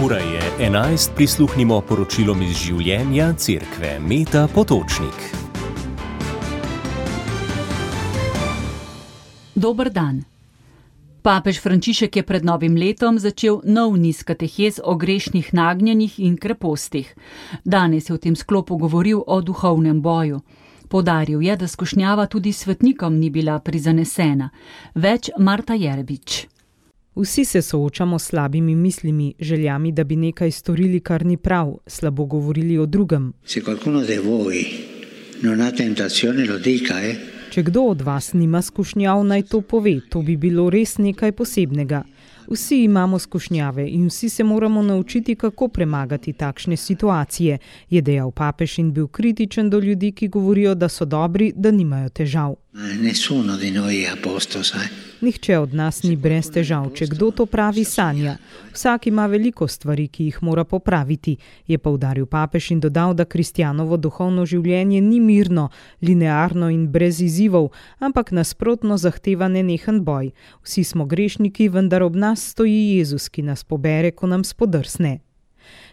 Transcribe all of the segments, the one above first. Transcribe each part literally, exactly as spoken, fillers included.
Ura je enajst, prisluhnimo poročilom iz življenja cerkve Meta Potočnik. Dober dan. Papež Frančišek je pred novim letom začel nov niz katehez o grešnih nagnjenjih in krepostih. Danes je v tem sklopu govoril o duhovnem boju. Poudaril je, da skušnjava tudi svetnikom ni bila prizanesena. Več Marta Jerebič. Vsi se soočamo s slabimi mislimi, željami, da bi nekaj storili, kar ni prav, slabo govorili o drugem. Če kdo od vas nima skušnjav, naj to pove, to bi bilo res nekaj posebnega. Vsi imamo skušnjave in vsi se moramo naučiti, kako premagati takšne situacije, je dejal papež in bil kritičen do ljudi, ki govorijo, da so dobri, da nimajo težav. Nihče od nas ni brez težav, če kdo to pravi, sanja. Vsak ima veliko stvari, ki jih mora popraviti, je poudaril papež in dodal, da kristjanovo duhovno življenje ni mirno, linearno in brez izzivov, ampak nasprotno zahteva nenehen boj. Vsi smo grešniki, vendar ob nas stoji Jezus, ki nas pobere, ko nam spodrsne.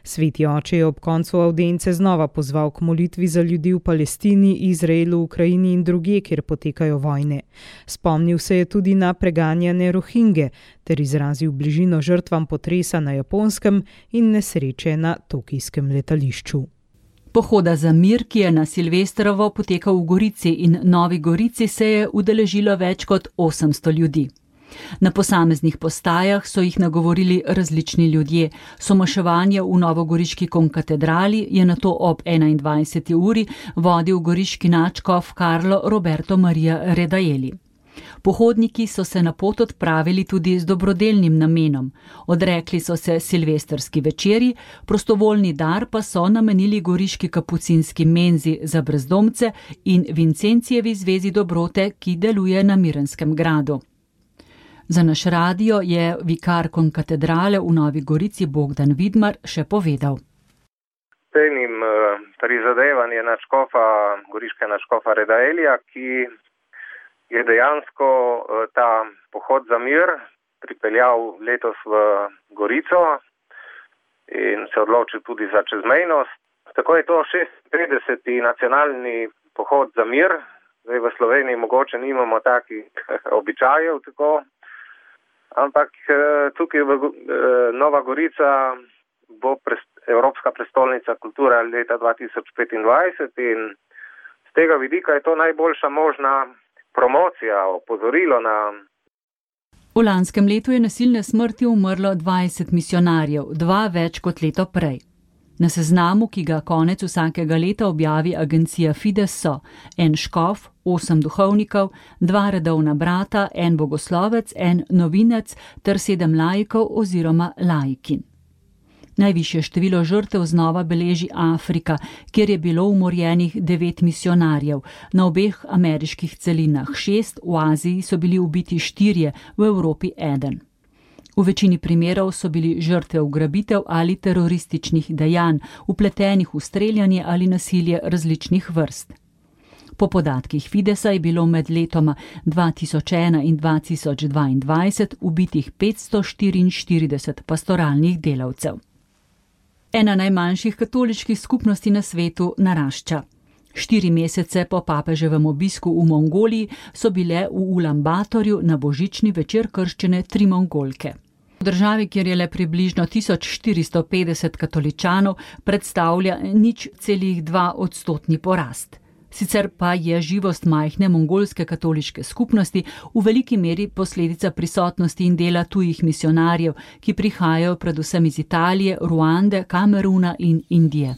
Sveti oče je ob koncu avdience znova pozval k molitvi za ljudi v Palestini, Izraelu, Ukrajini in drugje, kjer potekajo vojne. Spomnil se je tudi na preganjane Rohinge ter izrazil bližino žrtvam potresa na Japonskem in nesreče na tokijskem letališču. Pohoda za mir, ki je na Silvestrovo potekal v Gorici in Novi Gorici, se je udeležilo več kot osemsto ljudi. Na posameznih postajah so jih nagovorili različni ljudje. Somaševanje v novogoriški konkatedrali je nato ob enaindvajseti uri vodil goriški nadškof Karlo Roberto Maria Redaeli. Pohodniki so se na pot odpravili tudi z dobrodelnim namenom. Odrekli so se silvestrski večeri, prostovoljni dar pa so namenili goriški kapucinski menzi za brezdomce in Vincentijevi zvezi dobrote, ki deluje na Mirenskem gradu. Za naš radio je vikar konkatedrale v Novi Gorici Bogdan Vidmar še povedal. Cenim prizadevanje nadškofa, goriškega nadškofa Redaelija, ki je dejansko ta pohod za mir pripeljal letos v Gorico in se odločil tudi za čezmejnost. Tako je to šestintrideseti nacionalni pohod za mir. Zdaj v Sloveniji mogoče nimamo takih običajev tako. Ampak tukaj v Nova Gorica bo Evropska prestolnica kulture leta dva tisoč petindvajset in z tega vidika je to najboljša možna promocija, opozorilo na... V lanskem letu je nasilne smrti umrlo dvajset misionarjev, dva več kot leto prej. Na seznamu, ki ga konec vsakega leta objavi agencija Fides, so en škof, osem duhovnikov, dva redovna brata, en bogoslovec, en novinec ter sedem laikov oziroma laikin. Najvišje število žrtev znova beleži Afrika, kjer je bilo umorjenih devet misionarjev, na obeh ameriških celinah šest, v Aziji so bili ubiti štirje, v Evropi eden. V večini primerov so bili žrtve ugrabitev ali terorističnih dejanj, vpletenih v streljanje ali nasilje različnih vrst. Po podatkih Fidesa je bilo med letoma dva tisoč ena in dva tisoč dvaindvajset ubitih petsto štiriinštirideset pastoralnih delavcev. Ena najmanjših katoliških skupnosti na svetu narašča. Štiri mesece po papeževem obisku v Mongoliji so bile v Ulambatorju na božični večer krščene tri Mongolke. V državi, kjer je le približno tisoč štiristo petdeset katoličanov, predstavlja nič celih dva odstotni porast. Sicer pa je živost majhne mongolske katoliške skupnosti v veliki meri posledica prisotnosti in dela tujih misionarjev, ki prihajajo predvsem iz Italije, Ruande, Kameruna in Indije.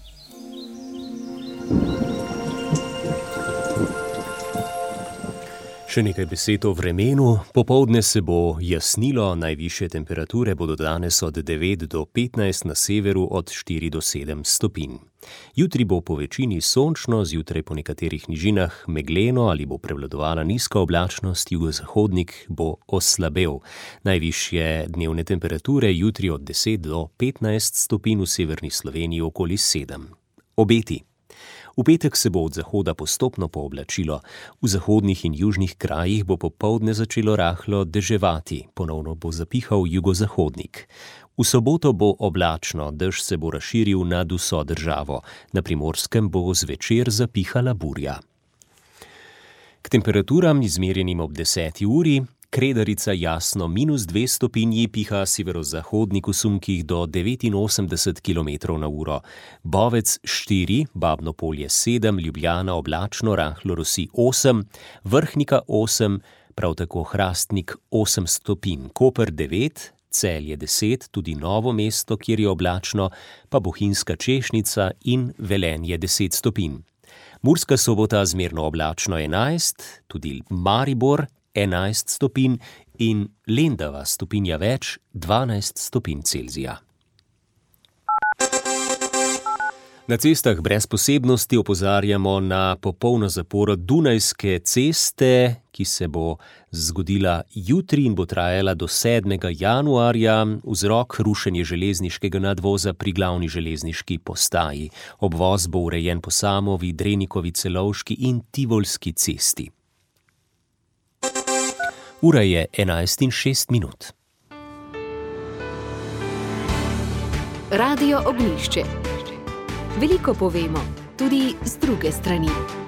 Še nekaj besed o vremenu. Popoldne se bo jasnilo, najvišje temperature bodo danes od devet do petnajst, na severu od štiri do sedem stopinj. Jutri bo po večini sončno, zjutraj po nekaterih nižinah megleno ali bo prevladovala nizka oblačnost, jugozahodnik bo oslabel. Najvišje dnevne temperature jutri od deset do petnajst stopinj, v severni Sloveniji okoli sedem. Obeti. V petek se bo od zahoda postopno pooblačilo. V zahodnih in južnih krajih bo popoldne začelo rahlo deževati, ponovno bo zapihal jugozahodnik. V soboto bo oblačno, dež se bo razširil nad vso državo. Na Primorskem bo zvečer zapihala burja. K temperaturam, izmerjenim ob deseti uri, Kredarica jasno minus dve stopinji, piha severozahodnik v sunkih do devetinosemdeset kilometrov na uro. Bovec štiri, Babno Polje sedem, Ljubljana oblačno, rahlo rosi osem, Vrhnika osem, prav tako Hrastnik osem stopinj, Koper devet, Celje deset, tudi Novo mesto, kjer je oblačno, pa Bohinjska Češnica in Velenje deset stopinj. Murska Sobota zmerno oblačno enajst, tudi Maribor enajst stopinj in Lendava stopinja več, dvanajst stopinj Celzija. Na cestah brez posebnosti opozarjamo na popolno zaporo Dunajske ceste, ki se bo zgodila jutri in bo trajala do sedmega januarja, vzrok rušenje železniškega nadvoza pri glavni železniški postaji. Obvoz bo urejen po Samovi, Drenikovi, Celovški in Tivolski cesti. Ura je enajst in šest minut. Radio Ognjišče. Veliko povemo, tudi z druge strani.